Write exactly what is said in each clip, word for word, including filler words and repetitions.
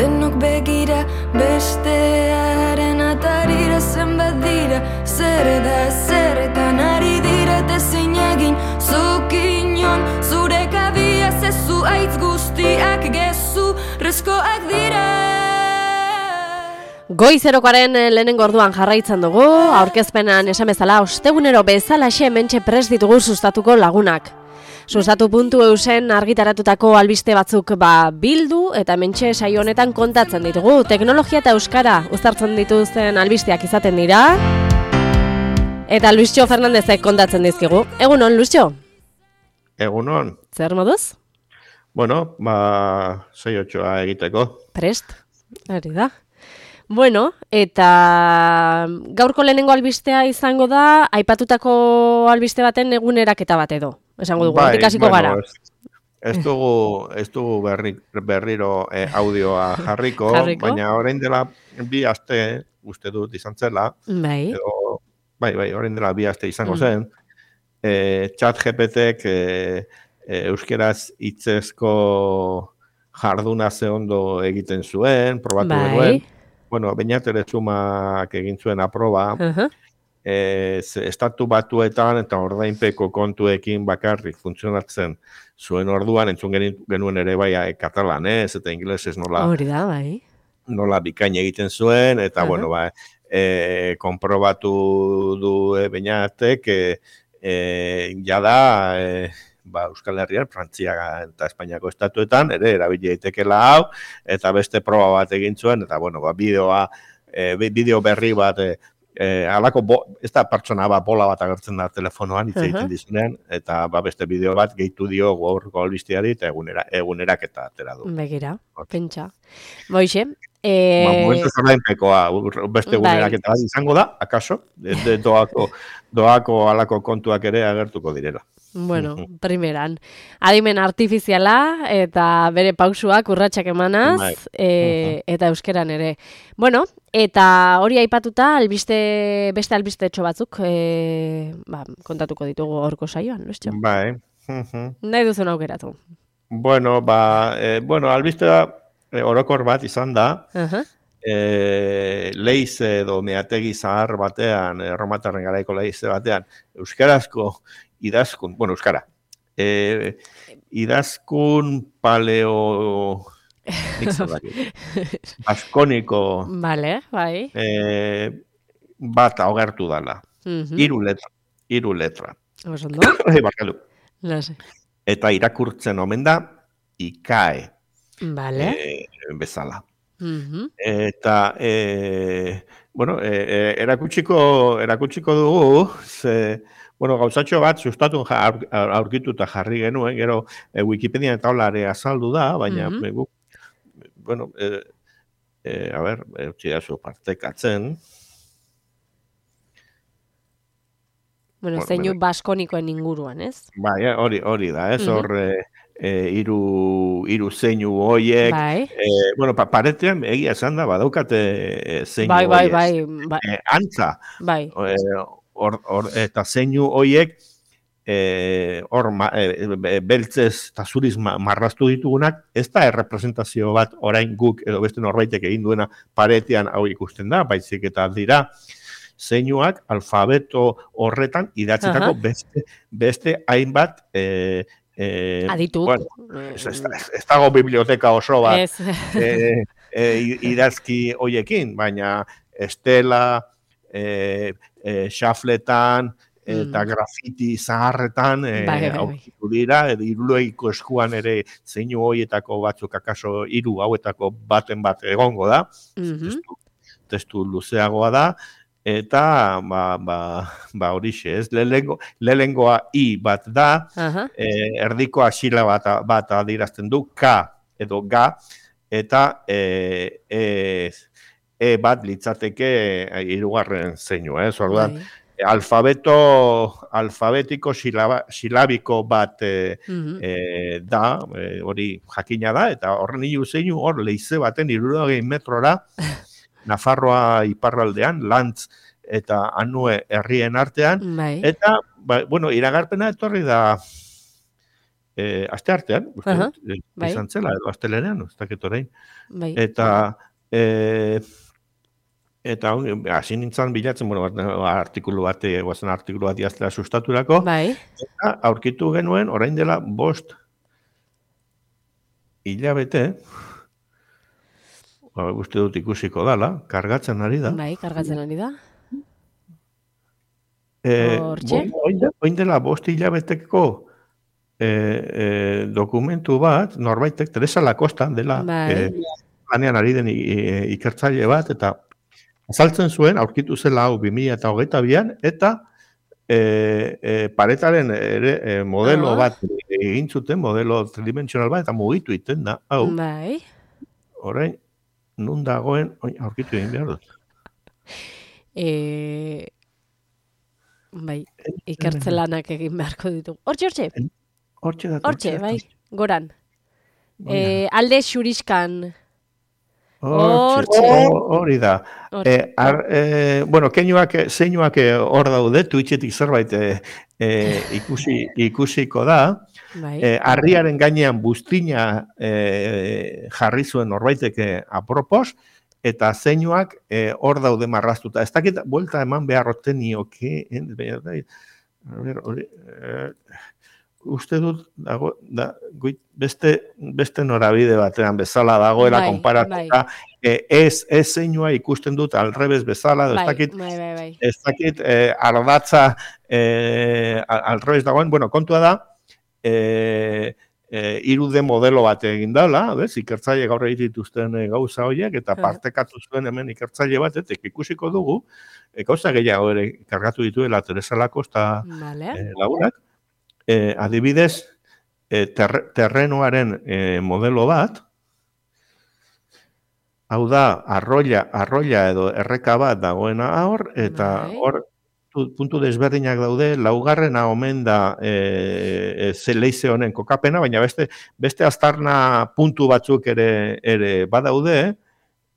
denok begira, bestearen atarira zenbat dira, zer da zerretan ari dira, ezin egin zuk inon, zure kabia zezu aitz guztiak gezu, rezkoak dira. Goizerokoaren lehenengo orduan jarraitzen dugu, aurkezpenan esan bezala, ostegunero bezalaxe hementxe prest ditugu sustatuko lagunak. Sustatu puntu eusen argitaratutako albiste batzuk ba bildu eta hementxe saio honetan kontatzen ditugu. Teknologia eta euskara uztartzen dituzten albisteak izaten dira. Eta Luisio Fernandezek kontatzen dizkigu. Egunon, Luisio? Egunon. Zer moduz? Bueno, ba, sei otxoa egiteko. Prest, hori da. Bueno, eta gaurko lehenengo albistea izango da, aipatutako albiste baten eguneraketa bat edo. Esango dugu, bai, ikasiko bueno, gara. Ez, ez dugu, ez dugu berri, berriro eh, audioa jarriko, Jarriko? baina orain dela bi aste, uste dut izan zela, Bai. edo, bai, bai, orain dela bi aste izango Mm. zen, eh, chat G P T-ek eh, eh, euskeraz hitzezko jarduna ze ondo egiten zuen, probatu Bai. genuen. Bueno, Beñat Erezumak egin zuen aproba, Uh-huh. eh, ze- estatu batuetan eta ordainpeko kontuekin bakarrik funtzionatzen zuen orduan, entzun geni- genuen ere bai eh, katalanez eta ingelesez nola, Hori da, bai. nola bikain egiten zuen, eta Aha. bueno, ba, eh, konprobatu du eh, Beñatek, eh, eh, jada, eh, ba, Euskal Herrian, Frantzia eta Espainiako estatuetan, ere, erabili daitekela hau, eta beste proba bat egin zuen, eta, bueno, ba, bideoa, eh, bi- bideo berri bat, eh, eh, alako, bo, ez da pertsona bat, bola bat agertzen da telefonoan, hitz egiten Aha. dizunean, eta ba, beste bideo bat gehitu dio gaurko albisteari, eta egunera, egunerak eta atera du. Begira, Hor. pentsa. Boixe, Ba, eh, momentuz ordainpekoa, ur- beste bai. egunerak eta bat izango da, akaso, de, de doako, doako alako kontuak ere agertuko direla. bueno, primeran. Adimen artifiziala eta bere pausuak urratsak emanaz, Bai. e, eta euskeran ere. Bueno, eta hori aipatuta, albiste, beste albistetxo batzuk e, ba, kontatuko ditugu horko saioan, Luistxo? Bai. Mhm. Nahi duzun aukeratu. Bueno, ba, eh, bueno, albistea eh, orokor bat izan da, Aha. eh, leize edo meategi zahar batean, eh, erromatarren garaiko leize batean, euskarazko idazkun, bueno, euskara, eh, idazkun paleo, nik zer dakit, baskoniko Vale, bai. eh, bat agertu dala, Mhm. hiru letra, hiru letra, Oso ondo? Eh, barkatu. Lase. Eta irakurtzen omen da, ikae, Vale. eh, bezala. Mhm. Eta, e, bueno, e, e, erakutsiko, erakutsiko dugu, ze, bueno, gauzatxo bat sustatu ja- aur- aur- aurkituta jarri genuen, gero e, Wikipedia eta holare azaldu da, baina Mhm. e, guk, bueno, e, e, a ber, e, utzi dazu partekatzen. Bueno, Bueno, zeinu bere- baskonikoen inguruan, ez? Bai, eh, hori, hori da, ez, Mhm. hor, e, e, hiru, hiru zeinu hoiek, Bai. e, bueno, pa, paretean egia esan da, badaukate e, zeinu Bai, bai, hoiek. bai, bai, E, antza, bai. Eh, hor, hor, eta zeinu hoiek eh, hor ma, eh, be- beltzez eta zuriz ma, marraztu ditugunak, ez da errepresentazio bat orain guk edo beste norbaitek egin duena paretean hau ikusten da, baizik eta dira zeinuak alfabeto horretan idatzitako Aha. beste, beste hainbat eh, eh, Adituk. bueno, ez, ez, ez, ez dago biblioteka oso bat Ez. eh, eh, idazki hoiekin, baina estela, eh, eh, xafletan, eta Mm. grafiti zaharretan eh, Bai, bai, bai. aurkitu dira, edo hiruleiko eskuan ere zeinu hoietako batzuk akaso hiru hauetako baten bat egongo da, Mhm. testu, testu luzeagoa da, eta ba, ba, ba horixe, ez, lehengo, lehengoa i bat da, Aha. eh, erdikoa xila bat, bat adierazten du, k edo ga, eta e, e, e bat litzateke eh, hirugarren zeinu, ez, orduan, Bai. alfabeto, alfabetiko silaba, silabiko bat e, Mhm. e, da, e, hori jakina da, eta horren hiru zeinu hor leize baten hirurogei metrora, Nafarroa iparraldean, Lantz eta Anue herrien artean, Bai. eta, ba, bueno, iragarpena etorri da e, aste artean, uste Aha, dut, e, bai. izan zela, edo astelenean, ez dakit orain. Bai. Eta, e, eta on, hasi nintzen bilatzen, bueno, bat, artikulu bat, e, guazen artikulu bat idaztera sustaturako, Bai. eta aurkitu genuen, orain dela bost hilabete, ba, uste dut ikusiko dala, kargatzen ari da. Bai, kargatzen ari da. E, Hortxe? bo- Oin de- oin dela bost hilabeteko e, e, dokumentu bat, norbaitek, Teresa Lacosta dela, Bai. e, lanean ari den i- i- ikertzaile bat, eta azaltzen zuen, aurkitu zela hau bi mila hogeita bian, eta e, e, paretaren ere e, modelo Ah. bat egin zuten, modelo tridimensional bat, eta mugitu iten da, hau, Bai. orain, nun dagoen, oin, aurkitu egin behar dut. E... Bai, ikertze lanak egin beharko ditugu. Hortxe, hortxe, Hortxe da. hortxe, bai, goran. Bai. E, alde xuriskan. Hortxe, Hortxe. ho- hori da. Hortxe. E, ar, e, bueno, keinuak, zeinuak eh, hor daude, Twitchetik zerbait e, e, ikusi, ikusiko da. Bai. E, harriaren gainean buztina e, jarri zuen norbaitek eh, apropos, eta zeinuak eh, hor daude marraztuta. Ez dakit, buelta eman beharroten nioke, en, a ber, hori, eh, uste dut, dago, da, guit, beste, beste norabide batean bezala dagoela Bai, konparatuta, eh, ez, ez zeinua ikusten dut alrebez bezala, edo ez Bai, dakit, bai, bai, bai. ez dakit eh, ardatza eh, al- alrebez dagoen, bueno, kontua da, eh, eh, irude modelo bat egin dela, bez, ikertzaile gaur egiten dituzten eh, gauza horiek, eta Aha. partekatu zuen hemen ikertzaile bat, eta ikusiko dugu, eh, gauza gehiago ere kargatu dituela Teresa Lacosta Vale. eh, lagunak, eh, adibidez, eh, terre, terrenoaren eh, modelo bat, hau da, arroila, arroila edo erreka bat dagoena hor, eta Bai. hor tu- puntu desberdinak daude, laugarrena omen da e, e, leize honen kokapena, baina beste beste aztarna puntu batzuk ere ere badaude,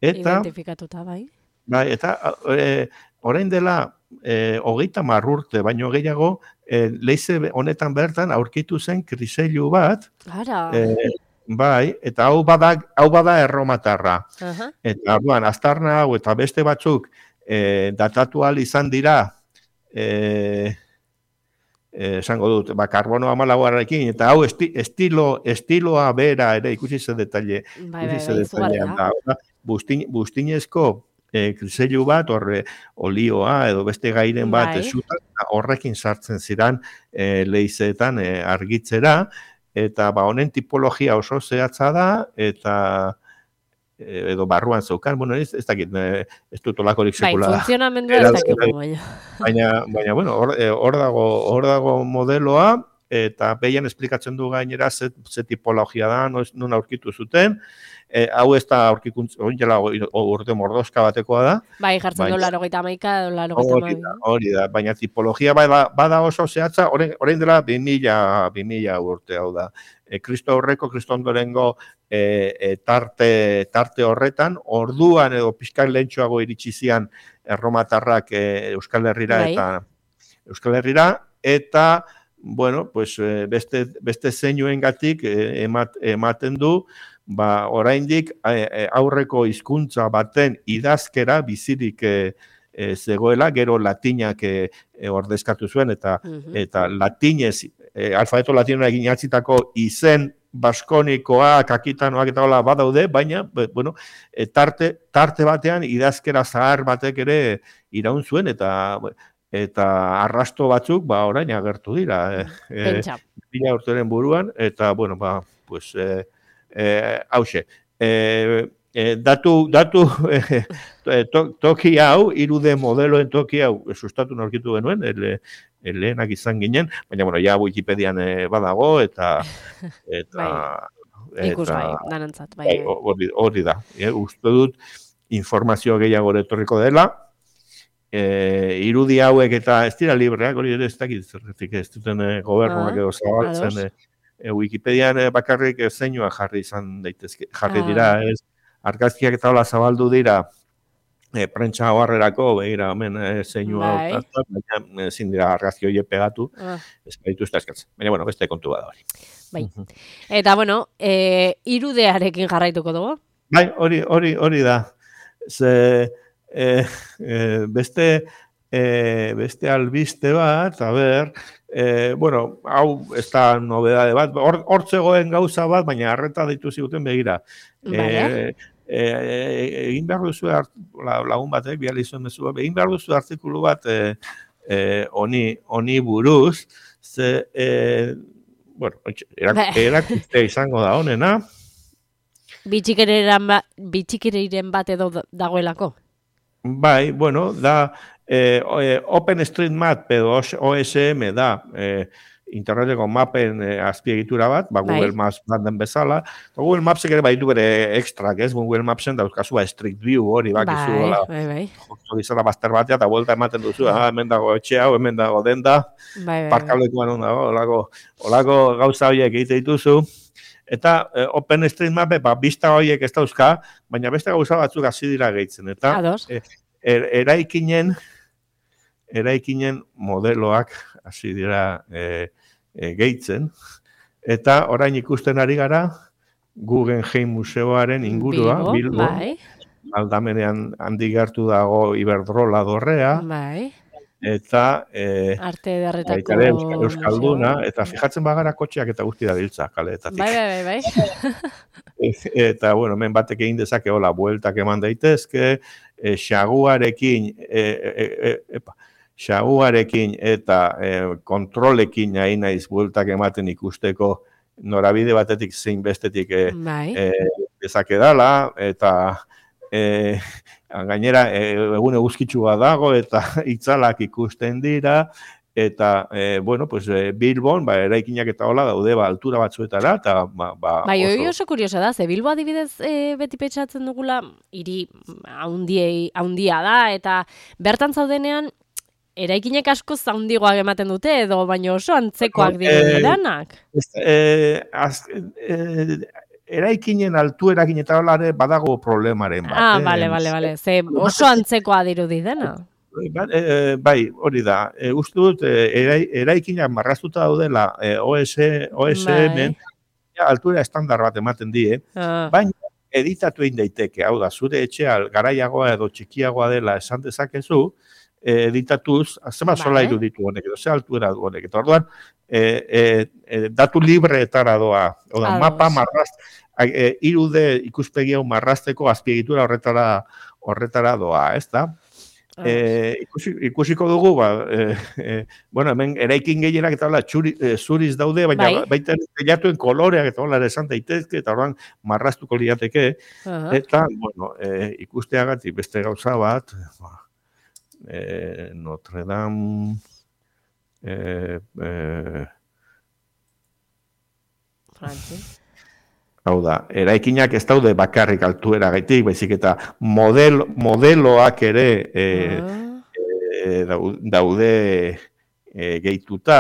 eta Identifikatuta, bai. bai, eta e, orain dela e, hogeita hamar urte, baino gehiago, e, leize honetan bertan aurkitu zen kriseilu bat, Ara. e, bai, eta hau bada, hau bada erromatarra. Aha. Eta orduan, aztarna hau eta beste batzuk e, datatu ahal izan dira, e, e, esango dut, ba, karbono amalauarekin, eta hau esti, estilo, estiloa bera ere ikusi ze detalle, Bai, bai, ikusi ze bai, detailean izugarria. da. Bustin, bustinezko e, kriseilu bat, horre olioa edo beste gairen bat Bai. esutan, horrekin sartzen ziran e, leizeetan e, argitzera, eta ba honen tipologia oso zehatza da, eta e, edo barruan zeukan, bueno, ez, ez dakit, e, ez dut olakorik Bai, sekula. funtzionamendua ez erantzun dakigu, baina. Baina, baina bueno, hor, e, hor dago, hor dago modeloa, eta behian esplikatzen du gainera ze, ze tipologia da, noiz, nun aurkitu zuten, e, hau ez da aurkikuntz, oinela urte mordoska batekoa da, Bai, jartzen Baina- du laurogeita hamaika, edo laurogeita hori da, hamabi. hori da, baina tipologia bada, bada oso zehatza, orain, orain dela bi mila urte hau da. E, Kristo aurreko, Kristo ondorengo e, e, tarte, tarte horretan, orduan edo pixkal lehentxoago iritsi zian erromatarrak e, Euskal Herrira Bai. eta Euskal Herrira, eta bueno, pues, e, beste, beste zeinuengatik e, emat, ematen du, ba, oraindik e, e, aurreko hizkuntza baten idazkera bizirik e, e, zegoela, gero latinak e, e, ordezkatu zuen, eta Mhm. eta latinez, e, alfabeto latinoa egin atzitako izen baskonikoak, akitanoak eta hola badaude, baina, be, bueno, e, tarte, tarte batean idazkera zahar batek ere iraun zuen, eta eta arrasto batzuk, ba, orain agertu dira, e, e, Pentsa. mila urteren buruan, eta, bueno, ba, pues, e, e, hauxe, e, e, datu, datu e, to, toki hau, irude modeloen toki hau, sustatu norkitu genuen, ele, lehenak izan ginen, baina, bueno, ja Wikipedian e, badago, eta, eta, Ikus eta, bai, danantzat, bai. bai, bai. hori, hori da, e, uste dut, informazio gehiago etorriko dela, e, irudi hauek eta ez dira libreak, hori ere ez dakit zerretik ez duten e, gobernuak Ah, edo zabaltzen, ados. e, e, Wikipedian e, bakarrik e, zeinua jarri izan daitezke, jarri Ah. dira, ez, argazkiak eta hola zabaldu dira, e, prentsa oharrerako, begira, hemen e, zeinua Bai. hautatu, baina ezin dira argazki horiek pegatu, Ah. ez badituzte eskatzen. Baina, bueno, beste kontu bada hori. Bai. Eta, bueno, e, irudearekin jarraituko dugu. Bai, hori, hori, hori da. Ze, e, e, beste, e, beste albiste bat, a ber, e, bueno, hau ez da nobedade bat, hor, hor zegoen gauza bat, baina arreta ditu ziguten begira. Vale. E, e, egin behar duzu lagun batek, biali zuen mezu, egin behar duzu artikulu bat e, e, oni, oni buruz, ze, e, bueno, erak, erakuste izango da honena. Bitxikeriren ba, bitxikeriren bat edo dagoelako? Bai, bueno, da eh, OpenStreetMap edo O S M da eh, interneteko mapen eh, azpiegitura bat, ba, Google bai. Maps den bezala. Google Mapsek ere baditu bere ekstrak, ez? Google Mapsen dauzkazua Street View hori bakizu. Bai, bai, bai. Joko izala bazter batea eta vuelta ematen duzu, ah, hemen dago etxe hau, hemen dago denda, bai, bai, parkalekuan hon dago, olako, olako gauza horiek egite dituzu. Eta eh, OpenStreetMap, ba, bista horiek ez dauzka, baina beste gauza batzuk hasi dira gehitzen. Eta eh, er, eraikinen, eraikinen modeloak hasi dira eh, eh, gehitzen. Eta orain ikusten ari gara, Guggenheim Museoaren ingurua, Bilbo, Bilbo bai. Aldamenean handi gertu dago Iberdrola dorrea. Bai. Eta eh, arte ederretako Euskal, Euskalduna, eta fijatzen bagara kotxeak eta guzti da biltza kaleetatik. Bai, bai, bai, bai. Eta, bueno, hemen batek egin dezake, hola, bueltak eman daitezke, e, xaguarekin, e, e, e, epa, xaguarekin eta e, kontrolekin nahi naiz bueltak ematen ikusteko norabide batetik zein bestetik e, bai. e, dezake dala, eta E, gainera, e, egun eguzkitsua dago eta itzalak ikusten dira, eta, e, bueno, pues, e, Bilbon, ba, eraikinak eta hola daude, ba, altura batzuetara, eta, ba, ba bai, oso... oso kurioso da, ze Bilbo adibidez e, beti petxatzen dugula, hiri haundia da, eta bertan zaudenean, eraikinek asko zaundigoak ematen dute, edo baino oso antzekoak diren eranak. E, e, eraikinen altuerakin eta holare badago problemaren bat. Ah, bale, bale, bale. Ze oso antzekoa dirudi dena. Ba, e, bai, hori da. E, uste dut, e, eraikinak marraztuta daudela e, O S M, ja, altura estandar bat ematen die, ah. baina editatu egin daiteke. Hau da, zure etxea garaiagoa edo txikiagoa dela esan dezakezu, e, editatuz, zema sola iruditu honek, edo ze altura du honek. Eta orduan, e, e, e, datu libreetara doa, oda, mapa marraz, e, irude ikuspegi hau marrazteko azpiegitura horretara horretara doa, ez da? E, ikusi, ikusiko dugu, ba, e, e, bueno, hemen eraikin gehienak eta hola, txuri, e, zuriz daude, baina bai. baita teilatuen koloreak eta hola esan daitezke, eta horren marraztuko liateke, uh-huh. eta, bueno, e, ikusteagatik beste gauza bat, ba, e, Notre Dame, e, e, Francis. Hau da, eraikinak ez daude bakarrik altuera gaitik, baizik eta model, modeloak ere e, e, daude e, gehituta,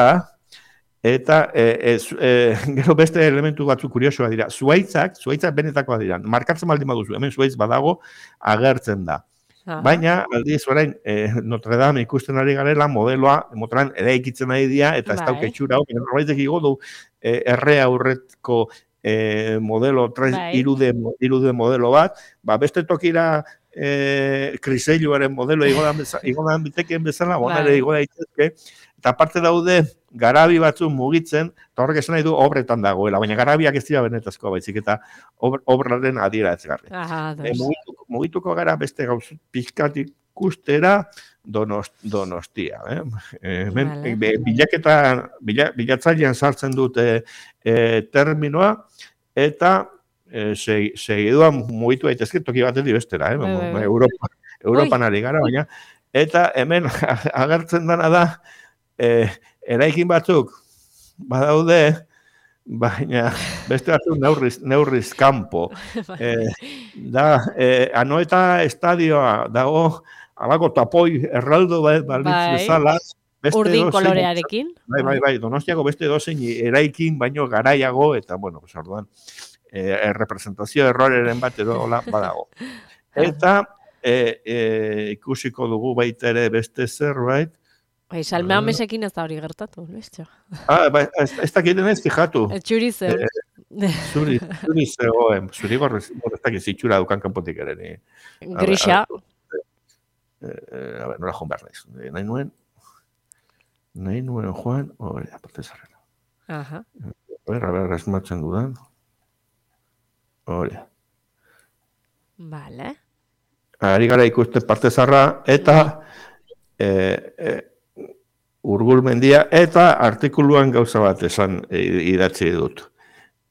eta e, e, e, gero beste elementu batzu kuriosoa dira. Zuaitzak, zuaitzak benetakoa dira. Markatzen baldin baduzu, hemen zuaitz badago agertzen da. Aha. Baina, aldiz orain, e, Notre Dame ikusten ari garela, modeloa, motoran eraikitzen ari dira, eta ez dauke txura, norbaitek igo du, e, erre aurretko E, modelo, tres, bai. irude, irude modelo bat, ba, beste tokira e, kriseiluaren modelo igodan bitekien bezala, bonare bai. igoda itezke, eta parte daude garabi batzu mugitzen, eta horrek esan nahi du obretan dagoela, baina garabiak ez dira benetazkoa baizik, eta obraren adiera ez garri. E, mugituko, mugituko gara beste gauz pizkat ikustera donost, donostia. Eh? E, men, vale. e, bilaketa, bila, bilatzailean sartzen dute e, terminoa, eta e, segiduan mugitu daitezke toki batetik bestera, eh? Bai, bai. Europa, Europan ari gara, baina, eta hemen agertzen dana da, e, eraikin batzuk badaude, baina beste batzuk neurriz, neurriz kanpo. E, da, e, Anoeta estadioa dago, alako tapoi erraldo balitz bezala, urdin kolorearekin. Bai, bai, bai, Donostiako beste dozein eraikin baino garaiago, eta, bueno, pues, orduan, e, representazio erroreren bat edo hola badago. Eta, e, e, ikusiko dugu baita ere beste zerbait. Bai, Salme Amesekin ez da hori gertatu, bestio. Ah, ba, ez, ez dakiten ez, fijatu. Txuri zeu. Zuri, zuri zegoen, zuri gorrez, ez dakit zitxura dukan kanpotik ere. Ni. Grisa. A ber, nola joan behar naiz. Nahi nuen, nahi nuen joan, hori da, parte zarrera. Aha. A ber, a ber, esmatzen dudan. Hori da. Vale. Ari gara ikuste parte zarra, eta e, e, Urgulmendia, eta artikuluan gauza bat esan idatzi dut.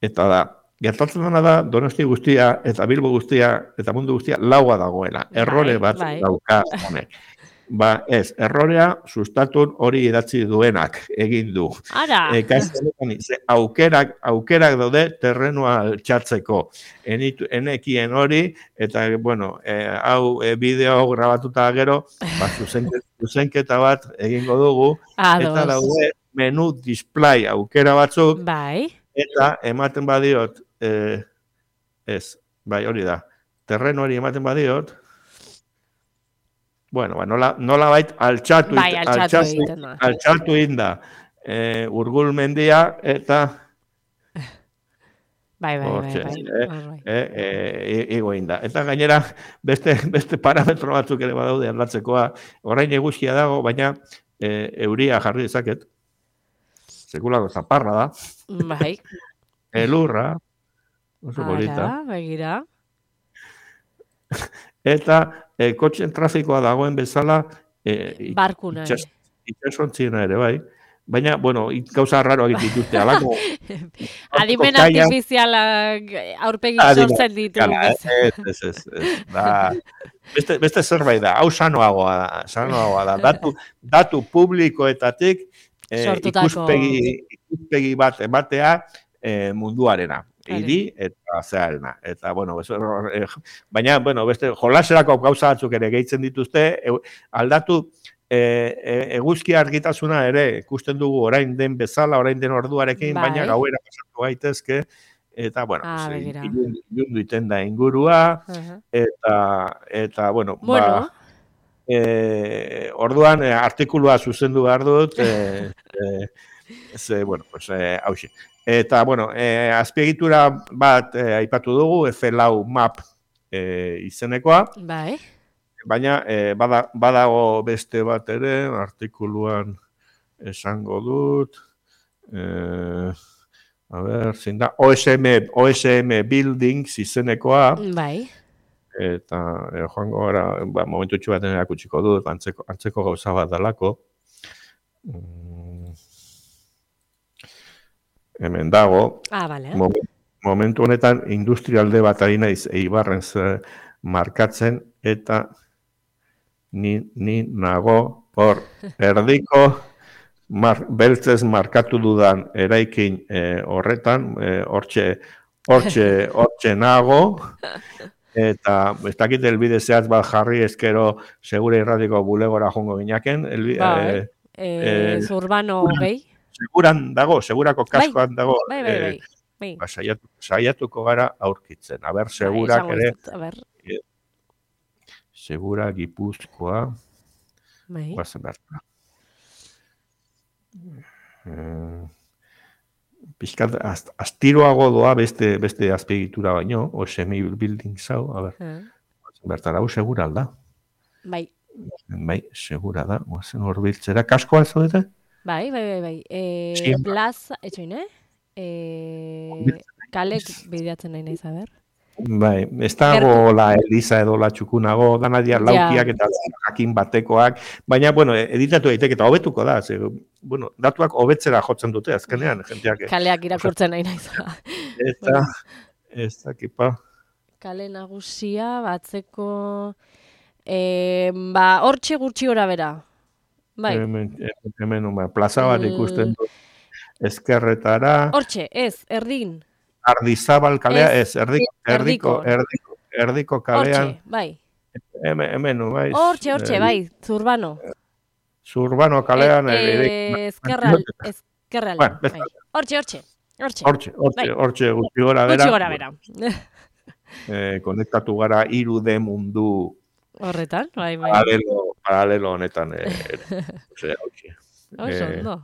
Eta da, gertatzen dena da, Donosti guztia, eta Bilbo guztia, eta mundu guztia, laua dagoela. Errore bat bai. dauka honek. Ba, ez, errorea sustatun hori idatzi duenak egin du. Ara! E, ze, aukerak, aukerak daude terrenua altxatzeko. Enitu, enekien hori, eta, bueno, e, hau e, bideo grabatuta gero, ba, zuzenket, zuzenketa bat egingo dugu, Ados. Eta daude menu display aukera batzuk, Bai. eta ematen badiot, e, ez, bai, hori da, terreno hori ematen badiot, bueno, ba, nola, nola bait altxatu, bai, altxatu, altxatu, egiten da. altxatu inda e, Urgulmendia, eta Bai, bai, Hortxe, bai, eh, bai. eh, eh, igo inda. Eta gainera, beste, beste parametro batzuk ere badaude aldatzekoa, orain eguzkia dago, baina eh, euria jarri dezaket, sekulako zaparra da, Bai. elurra, oso polita, Ara, begira. eta eh, kotxen trafikoa dagoen bezala, eh, Barkuna. itxas, itxasontzina ere, bai, baina, bueno, gauza raroak dituzte, alako... Adimen Kaia- artifizialak aurpegik Adimen sortzen ditu. Kala, ez, ez, ez, ez. Da, beste, beste zerbait da, hau sanoagoa da, sanoagoa da. Datu, datu publikoetatik eh, Sortutako. ikuspegi, ikuspegi bat ematea eh, munduarena. Hiri eta zeharena. Eta, bueno, ez, eh, baina, bueno, beste jolaserako gauza batzuk ere gehitzen dituzte, e, aldatu e, e, eguzki argitasuna ere ikusten dugu orain den bezala, orain den orduarekin, Bai. baina gauera pasatu gaitezke, eta, bueno, Ah, pues, begira. ilun, ilundu iten da ingurua, Aha. eta, eta bueno, Bueno. ba, e, orduan e, artikulua zuzendu behar dut, e, e, ze, bueno, pues, e, hauxe. Eta, bueno, e, azpiegitura bat e, aipatu dugu, F lau map e, izenekoa, Bai. baina e, bada, badago beste bat ere, artikuluan esango dut, e, a ber, zein da, O S M, O S M Buildings izenekoa, Bai. eta e, joango gara, ba, momentutxu baten erakutsiko dut, antzeko, antzeko gauza bat dalako. Mm, hemen dago, Ah, bale. Mo- momentu honetan industrialde bat ari naiz Eibarren ze markatzen, eta ni, ni nago hor erdiko mar, beltzez markatu dudan eraikin eh, horretan, eh, hortxe, hortxe, hortxe nago, eta ez dakit elbide zehatz bat jarri ezkero segure irratiko bulegora jongo ginaken, elbi, Bai. eh, Eh, eh, Zurbano gehi. seguran dago, segurako kaskoan dago, Bai, bai, eh, bai. Bai. ba, saiatu, saiatuko gara aurkitzen. Aber, Bai, segurak esango ere, dizut, a ber. segura Gipuzkoa, Bai. guazen behar. Eh, pixkat, az, astiroago doa beste, beste azpiegitura baino, o semi building zau, a ber, Ah. bertara, hau segura alda. Bai. Bai, segura da, guazen horbiltzera, kaskoa zaudete? Bai, bai, bai, bai. Eh, Siempre. plaza, etxoin, eh? Eh, kalek bideatzen nahi naiz, a ber. Bai, ez dago la Elisa edo la txukunago, danadia Ja. laukiak eta jakin batekoak, baina, bueno, editatu daiteke eta hobetuko da, ze, bueno, datuak hobetzera jotzen dute, azkenean, jenteak. Kaleak irakurtzen nahi naiz. Eta, ez dakipa. Kale nagusia, batzeko... Eh, ba, hortxe gutxi gora bera. Bai. Hemen, hemen, hemen, plaza bat ikusten du. Ezkerretara, Hortxe, ez, erdin. Ardizabal kalea, Ez, ez, erdiko, erdiko, erdiko. erdiko, erdiko kalean, Hortxe, bai. hemen, hemen, bai. Hortxe, hortxe, eh, bai, Zurbano. Zurbano kalean, Eh, ere- eh, Ezkerral, ezkerral. Bueno, Bai. bezala. Hortxe, hortxe. Hortxe. Hortxe, hortxe, Bai. hortxe gutxi gora bera. Gutxi gora bera. Eh, konektatu gara hiru D mundu Horretan, bai, bai. Paralelo, paralelo honetan. E, ose, Oso, ondo.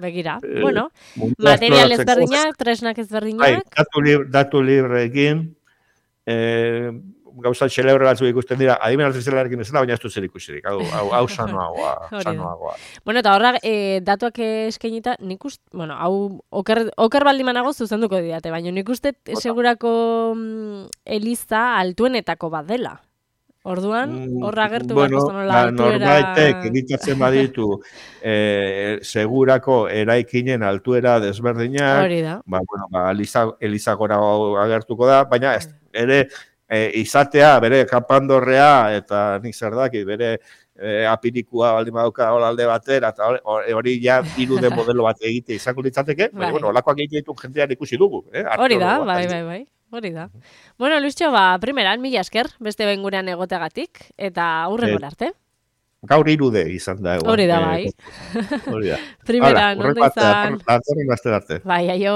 Begira, eh, bueno, mundu material esploratzeko- ezberdinak, tresnak Bai, ezberdinak, datu, lib, datu libreekin, eh, gauza xelebre batzuk ikusten dira, adimen artifizialarekin bezala, baina ez du zer ikusirik. Hau, hau, hau sanoagoa, Hori da. sanoagoa. bueno, eta horra, e, datuak eskainita, nik uste, bueno, hau, oker, oker baldin manago zuzenduko didate, baina nik uste segurako mm, eliza altuenetako bat dela. Orduan, horra agertu bueno, beharko nola ba, altuera... norbaitek editatzen baditu eh, segurako eraikinen altuera desberdinak, Hori da. ba, bueno, ba, Eliza, Eliza gora agertuko da, baina ez, ere eh, izatea, bere kapandorrea, eta nik zer daki, bere eh, apirikua baldin badauka hola alde batera, eta hori, hori ja irude modelo bat egite izango litzateke, baina, Bai. bueno, holakoak egite ditu jendean ikusi dugu. Eh, Hori da, arkeologo bat, bai, bai, bai. Hori da. Bueno, Luistxo, ba, primeran, mila esker, beste behin gurean egoteagatik, eta hurrengora arte. Gaur irude izan da. Egon. Hori da, bai. Eh, hori da. Primeran, Hala, ondo izan. Datorren aste arte. Bai, aio.